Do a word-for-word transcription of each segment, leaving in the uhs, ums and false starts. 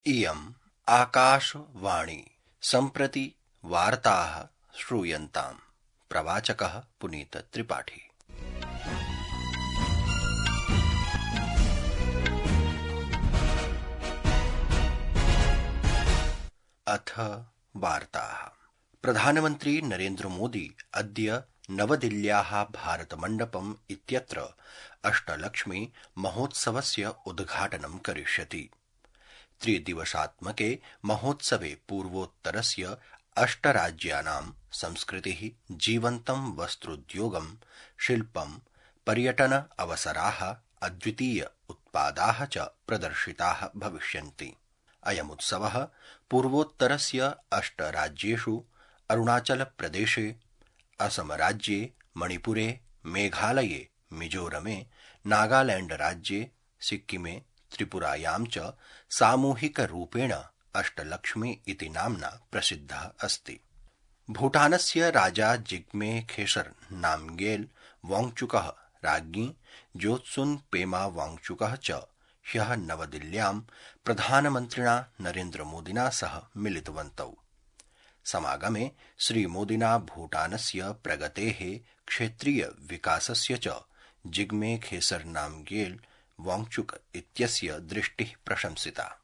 इयम् आकाशवाणी सम्प्रति वार्ताः श्रूयन्ताम्। प्रवाचकः पुनीत त्रिपाठी। अथ वार्ताः। प्रधानमन्त्री नरेन्द्र मोदी अद्य नवदिल्ल्याः भारतमण्डपम् इत्यत्र अष्टलक्ष्मी महोत्सवस्य उद्घाटनं करिष्यति। त्रिदिवसात्मके महोत्सवे पूर्वोत्तरस्य अष्टराज्यानां संस्कृतिः, जीवन्तं वस्त्रोद्योगं, शिल्पं, पर्यटन अवसराः, अद्वितीय उत्पादाः च प्रदर्शिताः भविष्यन्ति। अयमुत्सवः पूर्वोत्तरस्य अष्टराज्येषु अरुणाचलप्रदेशे, असमराज्ये, मणिपुरे, मेघालये, मिजोरमे, नागालैण्डराज्ये, सिक्किमे, त्रिपुरायां च सामूहिकरूपेण अष्टलक्ष्मी इति नाम्ना प्रसिद्धः अस्ति। भूटानस्य राजा जिग्मे खेसर नामग्येल वांगचुकः, राज्ञी जोत्सुन पेमा वांगचुकः च ह्यः नवदिल्ल्यां प्रधानमन्त्रिणा नरेन्द्र मोदिना सह मिलितवन्तौ। समागमे श्रीमोदिना भूटानस्य प्रगतेः, क्षेत्रीय विकासस्य च जिग्मे खेसर नामग्येल वांगचुक इत्यस्य दृष्टिः प्रशंसिता।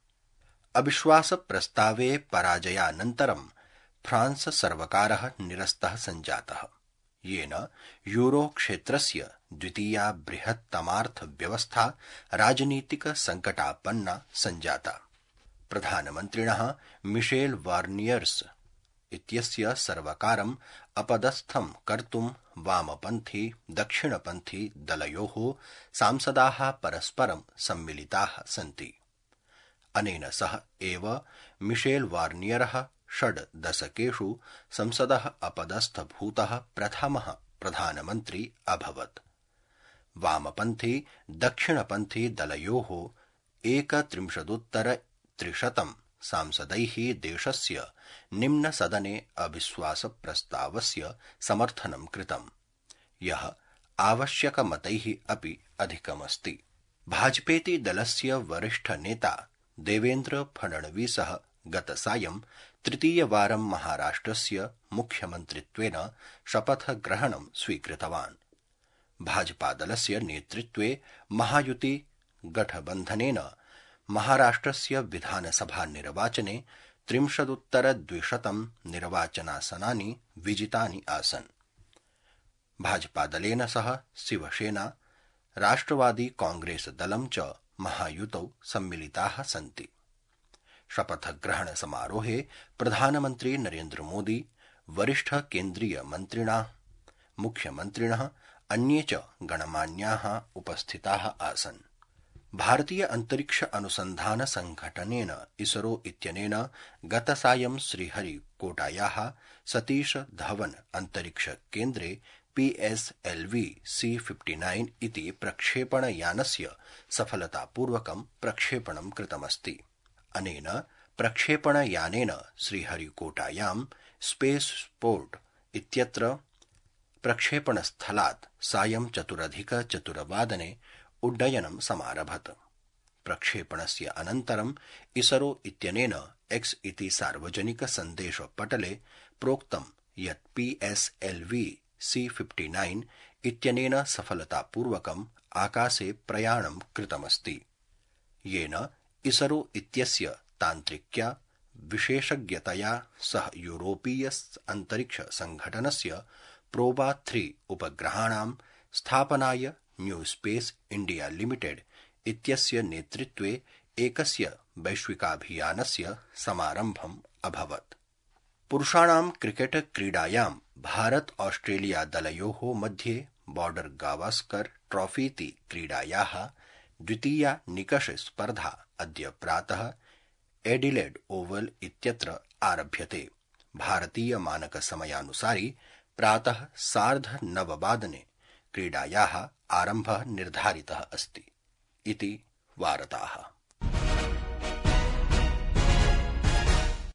अविश्वासप्रस्तावे पराजयानन्तरं फ्रांस सर्वकारः निरस्तः सञ्जातः, येन यूरो क्षेत्रस्य द्वितीया बृहत्तमार्थव्यवस्था राजनीतिक संकटापन्ना सञ्जाता। प्रधानमन्त्रिणः मिशेल बार्नियर्स इत्यस्य सर्वकारम् अपदस्थं कर्तुं वामपन्थी दक्षिणपन्थी दलयोः सांसदाः परस्परं सम्मिलिताः सन्ति। अनेन सह एव मिशेल बार्नियरः षड् दशकेषु संसदः अपदस्थभूतः प्रथमः प्रधानमन्त्री अभवत्। वामपन्थी दक्षिणपन्थी दलयोः एकत्रिंशदुत्तर त्रिशतं सांसदैः देशस्य निम्नसदने अविश्वासप्रस्तावस्य समर्थनं कृतम्, यः आवश्यकमतैः अपि अधिकमस्ति। भाजपेति दलस्य वरिष्ठनेता देवेन्द्र फडणवीसः गतसायं तृतीयवारं महाराष्ट्रस्य मुख्यमन्त्रित्वेन शपथग्रहणं स्वीकृतवान्। भाजपादलस्य नेतृत्वे महायुति गठबन्धनेन महाराष्ट्रस्य विधानसभानिर्वाचने त्रिंशदुत्तरद्विशतं निर्वाचनासनानि विजितानि आसन्। भाजपादलेन सह शिवसेना, राष्ट्रवादी कांग्रेस दलं च महायुतौ सम्मिलिताः सन्ति। शपथग्रहण समारोहे प्रधानमन्त्री नरेन्द्र मोदी, वरिष्ठ केन्द्रीय मन्त्रिणः, मुख्यमन्त्रिणः, अन्ये च गणमान्याः उपस्थिताः आसन्। भारतीय अंतरिक्ष अनुसंधान संघटनेन इसरो इत्यनेन गतसायं श्रीहरिकोटायाः सतीश धवन अंतरिक्ष केन्द्रे P S L V C fifty nine इति प्रक्षेपणयानस्य सफलतापूर्वकं प्रक्षेपणं कृतमस्ति। अनेन प्रक्षेपणयानेन श्रीहरिकोटायां स्पेसपोर्ट इत्यत्र प्रक्षेपणस्थलात् सायं चतुरधिक चतुर्वादने उड्डयनं समारभत। प्रक्षेपणस्य अनन्तरं इसरो इत्यनेन एक्स इति सार्वजनिक सन्देशपटले प्रोक्तं यत् P S L V C fifty nine इत्यनेन सफलतापूर्वकम् आकाशे प्रयाणं कृतमस्ति, येन इसरो इत्यस्य तान्त्रिक्या विशेषज्ञतया सह यूरोपीय अंतरिक्ष संघटनस्य प्रोबा थ्री उपग्रहाणां स्थापनाय न्यू स्पेस इंडिया लिमिटेड इत्यस्य नेतृत्वे एकस्य वैश्विकाभियानस्य समारम्भम् अभवत्। पुरुषाणां क्रिकेट क्रीडायां भारत ऑस्ट्रेलिया दलयोः मध्ये बॉर्डर गावस्कर ट्रॉफीति क्रीडायाः द्वितीया निकष स्पर्धा अद्य प्रातः एडिलेड ओवल इत्यत्र आरभ्यते। भारतीय मानक समयानुसारि प्रातः सार्ध नववादने क्रीडायाः आरम्भः निर्धारितः अस्ति इति वार्ताः।